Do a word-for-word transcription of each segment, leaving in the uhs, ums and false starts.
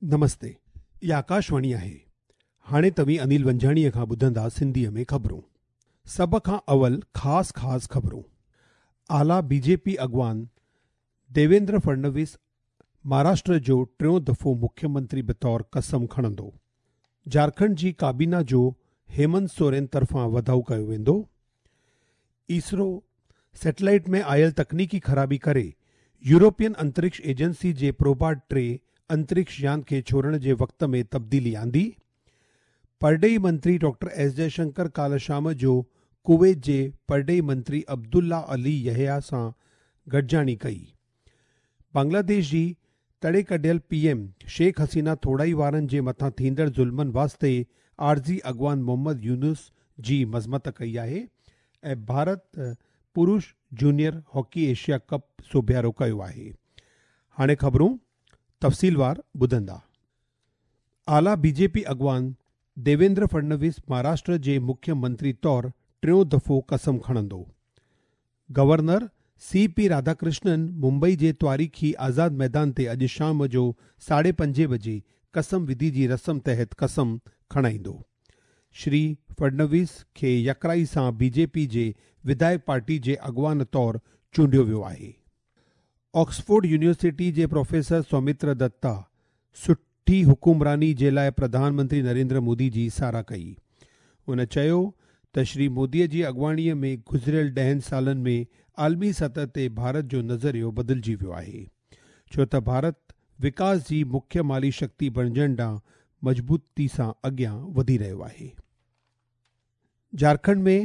نمستي، اها آڪاشواڻي آهي. هاڻي توهين انيل ونجهاڻيء کان ٻڌندا سنڌيء ۾ خبرون. سڀ کان اول خاص خاص خبرون. اعليٰ بي جي پي اڳواڻ ديويندر فڙنويس مهاراشٽر جو ٽيون دفعو مکيه منتري بطور قسم کڻندو. جهارکنڊ جي ڪابينا جو هيمنت سورين طرفان وڌاءُ ڪيو ويندو. اسرو سيٽلائيٽ ۾ آيل تڪنيڪي خرابي ڪري يورپين انترڪش ايجنسي جي پروبا ٽي انترڪش يان کي ڇوڙڻ جي وقت ۾ تبديلي آندي. پرڏيهي منتري ڊاڪٽر ايس جئشنڪر ڪالهه شام جو ڪويت جي پرڏيهي منتري عبدالله علي يحيٰ سان گڏجاڻي ڪئي. بنگلاديش جي تڙي ڪڍيل پي ايم شيخ حسينه ٿوڙائي وارن جي مٿان ٿيندڙ ظلمن واسطي عارضي اڳواڻ محمد يونس جي مذمت ڪئي آهي ۽ ڀارت پرش جونيئر هاڪي ايشيا ڪپ سوڀيارو ڪيو آهي. هاڻي خبرون تفصيلوار ٻڌندا. اعليٰ بي جي پي اڳواڻ ديويندر فڙنويس مهاراشٽر جي مکيه منتري طور ٽيون دفعو قسم کڻندو. گورنر سي پي راڌاڪرشنن ممبئي جي تاريخي آزاد ميدان تي اڄ شام جو ساڍي پنجين بجي قسم وڌي جي رسم تحت قسم کڻائيندو. شري فڙنويس کي يڪرائي سان بي جي پي جي وڌايڪ پارٽي جي اڳواڻ طور چونڊيو ويو آهي. آڪسفورڊ يونيورسٽي جي پروفيسر سومتر دتا سٺي حڪمراني جي لاءِ پرڌان منتري نريندر مودي جي ساراهه ڪئي. هن چيو ته شري موديءَ جي اڳواڻيءَ ۾ گذريل ڏهن سالن ۾ عالمي سطح تي ڀارت جو نظريو بدلجي ويو آهي، ڇو ته ڀارت وڪاس جي مکيه مالي شڪتي بڻجڻ ڏانهن مضبوطي سان اڳيان وڌي رهيو آهي. جهارکنڊ ۾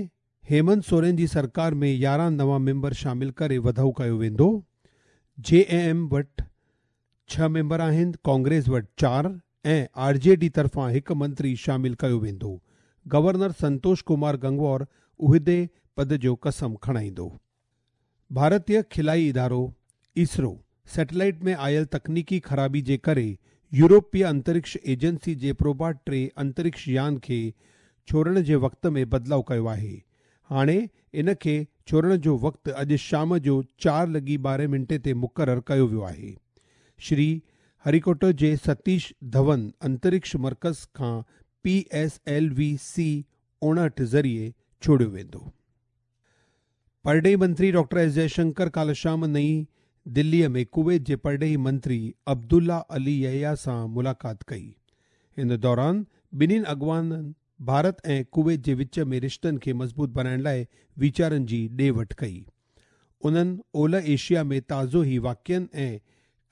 هيمنت سورين جي سرڪار ۾ يارهن نوان ميمبر شامل ڪري وڌاءُ ڪيو ويندو. جي ايم ايم وٽ ڇهه ميمبر آهن، ڪانگريس وٽ چار ۽ آر جي ڊي طرفان هڪ منتري شامل ڪيو ويندو. گورنر سنتوش ڪمار گنگوار عهدي پد جو قسم کڻائيندو. ڀارتيه خلائي ادارو اسرو سيٽلائيٽ ۾ آيل تڪنيڪي خرابي جي ڪري يورپيه انترڪش ايجنسي جي پروبا ٽي انترڪش يان کي ڇوڙڻ جي وقت ۾ بدلاءُ ڪيو آهي. هاڻي ان کي ڇوڙڻ جو وقت اڄ شام جو چار لڳي ٻارهن منٽي تي مقرر ڪيو ويو آهي. شري هريڪوٽا جي ستيش ڌون انترڪش مرڪز کان P S L V C اوڻهٺ ذريعي ڇوڙيو ويندو. پرڏيهي منتري ڊاڪٽر ايس جئشنڪر ڪالهه شام نئين دليءَ ۾ ڪويت جي پرڏيهي منتري عبدالله علي يحيٰ سان ملاقات ڪئي. ان دوران ٻنهي اڳواڻن ڀارت ۽ ڪويت جي وچ ۾ رشتن کي مضبوط بڻائڻ لاءِ ويچارن جي ڏي وٺ ڪئي. انهن اولهه ايشيا ۾ تازو ئي واقعن ۽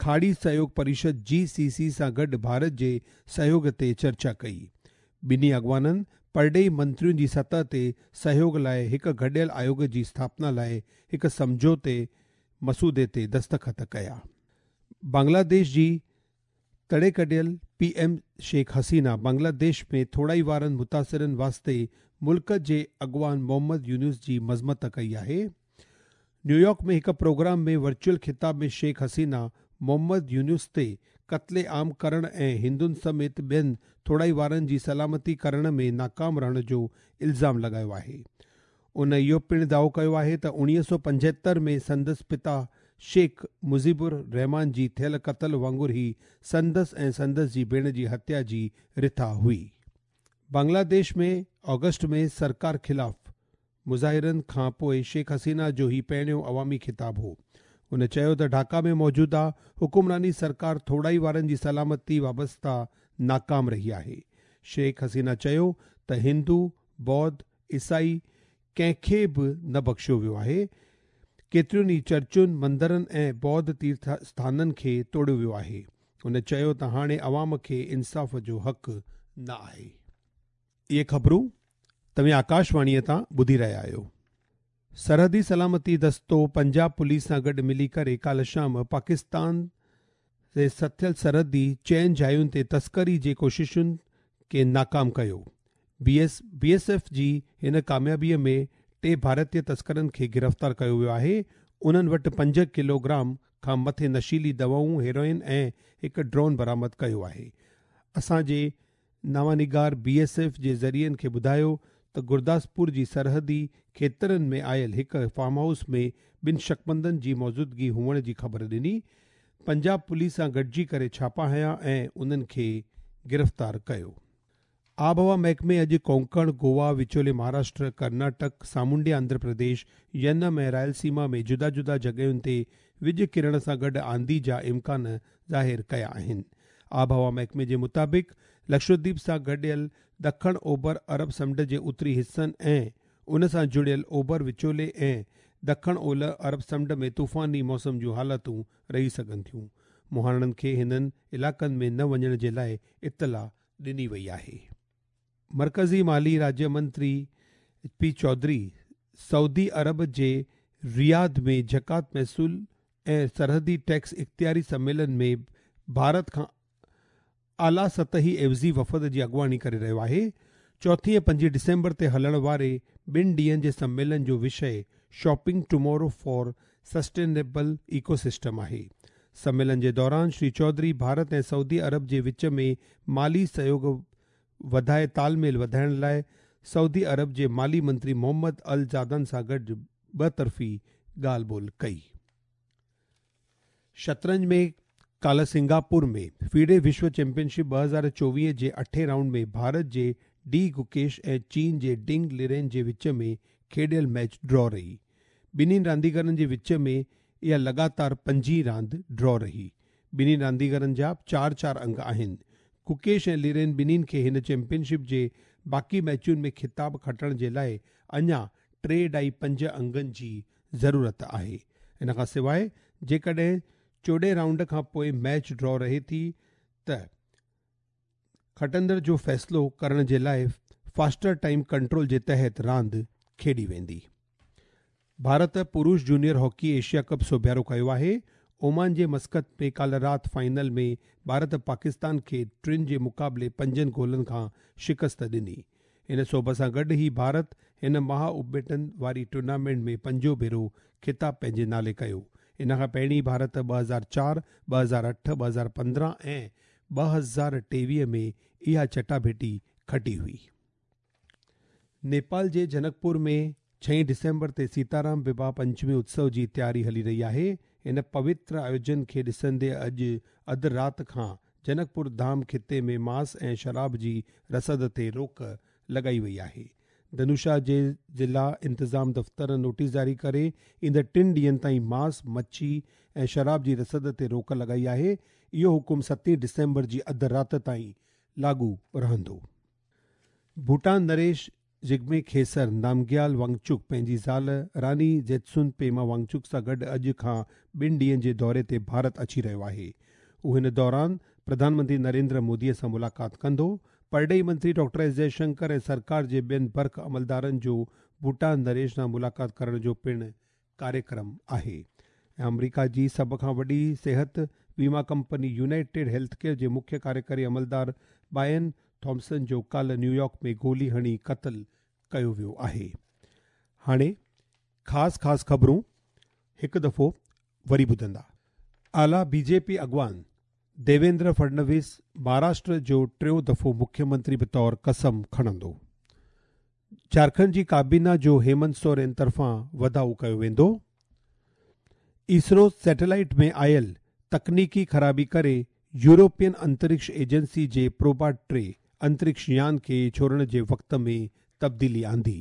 کاڙي سهيوگ پريشد جي سي سي سان گڏ ڀارت جي سهيوگ تي چرچا ڪئي. ٻنهي اڳواڻن پرڏيهي منترين جي سطح تي سهيوگ لاءِ هڪ گڏيل آيوگ جي اسٿاپنا لاءِ هڪ سمجهوتي مسودي تي دستخط ڪيا. بنگلاديش جي تڙي ڪڍيل پي ايم شيخ حسينه بنگلاديش ۾ ٿوڙائي وارن متاثرن واسطي ملڪ جي اڳواڻ محمد يونس جي مذمت ڪئي آهي. نيويارڪ ۾ هڪ پروگرام ۾ ورچوئل خطاب ۾ شيخ حسينه محمد يونس تي قتل عام ڪرڻ ۽ هندن سميت ٻين ٿوڙائي وارن جي سلامتي ڪرڻ ۾ ناڪام رهڻ جو الزام لڳايو آهي. ان اهو پڻ دعوو ڪيو آهي ته اڻويهه سؤ پنجهتر ۾ سندس پتا شيخ مجيب الرحمان جي ٿيل قتل وانگر ئي سندس ۽ سندس جي ڀيڻ جي هتيا جي رٿا هئي. بنگلاديش ۾ آگسٽ ۾ سرڪار خلاف مظاهرن کان پوءِ شيخ حسينه جو هي پهريون عوامي خطاب هو. هن چيو ته ڍاڪا ۾ موجوده حڪمراني سرڪار ٿوڙائي وارن جي سلامتي وابسته ناڪام رهي آهي. شيخ حسينه چيو ته هندو، ٻوڌ، عيسائي ڪنهن کي به نه بخشيو ويو آهي. ڪيترين ئي چرچن، مندرن ۽ ٻوڌ تيرٿ اسٿانن کي ٽوڙيو ويو آهي. هن چيو ته هاڻي عوام کي انصاف جو حق نه آهي. اهي خبرون توهين آڪاشواڻيءَ تان ٻڌي رهيا آهيو. سرحدي سلامتي دستو پنجاب پوليس سان گڏ ملي ڪري ڪالهه شام پاڪستان جي سٿيل سرحدي چئن جاين تي تسڪري جي ڪوششن کي ناڪام ڪيو. B S B S F جي هن ڪاميابيءَ ۾ ٽي ڀارتيه تسڪرن کي گرفتار ڪيو ويو آهي. انهن وٽ پنج ڪلوگرام کان مٿي نشيلي دوائون، هيروئن ۽ هڪ ڊرون برآمد ڪيو آهي. اسان جي نوانگار بي ايس ايف جي ذريعن کي ٻڌايو ته گرداسپور جي سرحدي کيترن ۾ آيل هڪ فارم هائوس ۾ ٻن شڪمندن جي موجودگي هئڻ جي خبر ڏني. پنجاب پوليس سان گڏجي ڪري ڇاپا هنيا ۽ انهن کي گرفتار ڪيو. آبهوا محڪمي اڄ ڪونڪڻ، گوا، وچولي مهاراشٽر، ڪرناٽڪ، سامونڊي آنڌرا پرديش، ينم ۽ رائلسيما ۾ جدا جدا جڳهين تي وڄ ڪرڻ سان گڏ آنڌي جا امڪان ظاهر ڪيا آهن. آبهوا محڪمي جي مطابق لڪشديپ سان گڏيل ڏکڻ اوڀر عرب سمنڊ جي اتري حصن ۽ ان سان جڙيل اوڀر وچولي ۽ ڏکڻ اولهه عرب سمنڊ ۾ طوفاني موسم جون حالتون رهي سگهن ٿيون. مهاڻن کي هنن علائقن ۾ نه وڃڻ جي لاءِ اطلاع ڏني وئي آهي. مرڪزي مالي راجيه منتري پي چوڌري سعودي عرب جي رياض ۾ زڪوات، محصول ۽ سرحدي ٽيڪس اختياري سميلن ۾ ڀارت کان اعليٰ سطحي عيوضي وفد جي اڳواڻي ڪري رهيو آهي. چوٿين ۽ پنجين ڊسمبر تي هلڻ واري ٻن ڏينهن جي سميلن جو وشي shopping tomorrow for sustainable ecosystem آهي. سميلن جي دوران شري چوڌري ڀارت ۽ سعودي عرب جي وچ ۾ مالي سهيوڳ وڌائي تال ميل وڌائڻ لاءِ سعودي عرب جي مالي منتري محمد ال جادان سان گڏ ٻه طرفي ڳالهه ٻولهه ڪئي. شطرنج ۾ ڪالهه سنگاپور ۾ فيڊي وشو چيمپيئن شپ ٻه هزار چوويهه جي اٺين رائونڊ ۾ ڀارت جي ڊي گڪيش ۽ چين جي ڊنگ ليرين جي وچ ۾ کيڏيل ميچ ڊرا رهي. ٻنهي رانديگرن جي وچ ۾ اها لڳاتار پنجين راند ڊرا رهي. ٻنهي رانديگرن جا چار چار انگ آهن. گڪيش ۽ ليرين ٻنهي کي هن چيمپيئن شپ جي باقي ميچن ۾ خطاب کٽڻ جي لاءِ اڃا ٽي اڍائي پنج انگن جي ضرورت آهي. ان کان سواءِ جيڪڏهن چوڏهين رائونڊ کان پوءِ ميچ ڊرا رهي ٿي ته کٽندڙ جو فيصلو ڪرڻ جي لاءِ فاسٽر ٽائيم ڪنٽرول جي تحت راند کيڏي ويندي. ڀارت پرش جونيئر هاڪي ايشيا ڪپ سوڀيارو ڪيو آهي. اومان جي مسقط ۾ ڪالهه رات فائنل ۾ ڀارت پاڪستان کي ٽن جي مقابلي پنجن گولن کان شڪست ڏني. هن سوڀ سان گڏ ئي ڀارت هن مها اپٻيٽن واري ٽورنامينٽ ۾ پنجون ڀيرو خطاب پنهنجي نالي ڪيو. ان کان پهرين ڀارت ٻه هزار چار، ٻه هزار اٺ، ٻه هزار پندرهن ۽ ٻه هزار ٽيويهه ۾ اها چٽاڀيٽي کٽي هئي. نيپال جي جنڪپور ۾ ڇهين ڊسمبر تي سيتارام وواهه پنچمي اتسو جي تياري هلي رهي آهي. هن پوتر آيوجن کي ڏسندي اڄ اڌ رات کان جنڪپور ڌام خطي ۾ مانس ۽ شراب جي رسد تي روڪ لڳائي وئي آهي. ڌنوشا جي ضلع انتظام دفتر نوٽيس جاري ڪري ايندڙ ٽن ڏينهن تائين مانس، مڇي ۽ شراب جي رسد تي روڪ لڳائي آهي. اهو حڪم ستين ڊسمبر جي اڌ رات تائين لاڳو رهندو. ڀوٽان نريش جگمي کيسر نامگيال وانگچڪ پنهنجي زال راني جيتسن پيما وانگچڪ سان گڏ اڄ کان ٻن ڏينهن جي دوري تي ڀارت اچي رهيو آهي. هو هن دوران پرڌان منتري نريندر موديءَ سان ملاقات ڪندو. پرڏيهي منتري ڊاڪٽر ايس جئشنڪر ۽ سرڪار جي ٻين برک عملدارن جو ڀوٽان نريش سان ملاقات ڪرڻ جو پڻ ڪاريڪرم آهي. ۽ آمريڪا جي سڀ کان وڏي صحت ويما ڪمپني يونائيٽيڊ هيلٿ ڪيئر جي مکيه ڪاريڪاري عملدار برائن ٿامسن جو ڪالهه نيويارڪ ۾ گولي هڻي قتل ڪيو ويو آهي. هاڻي خاص خاص خبرون هڪ دفعو وري ٻڌندا. اعليٰ بي جي پي اڳواڻ ديويندر فڊنويس مهاراشٽر جو ٽيون دفعو مکيه منتري بطور قسم کڻندو. جهارکنڊ جي ڪابينا جو هيمنت سورين طرفان وڌاءُ ڪيو ويندو. اسرو سيٽلائيٽ ۾ آيل تڪنيڪي خرابي ڪري يورپين انترڪش ايجنسي جي پروبا ٽي انترڪش يان کي ڇوڙڻ جي وقت ۾ تبديلي آندي.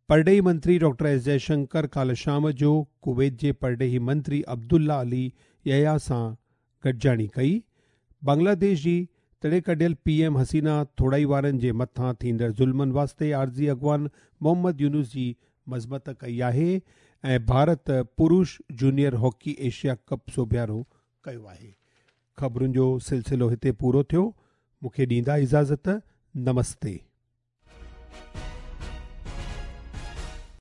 پرڏيهي منتري ڊاڪٽر ايس جئشنڪر ڪالهه شام جو ڪويت جي پرڏيهي منتري عبدالله علي يحيٰ سان گڏجاڻي ڪئي. بنگلاديش جي تڙي ڪڍيل پي ايم حسينه ٿوڙائي وارن جي مٿان ٿيندڙ ظلمن واسطي عارضي اڳواڻ محمد يونس جي مذمت ڪئي آهي. ۽ ڀارت پرش جونيئر هاڪي ايشيا ڪپ سوڀيارو ڪيو آهي. خبرن جو سلسلو هتي پورو ٿيو. مون کي ڏيندا اجازت. نمستي.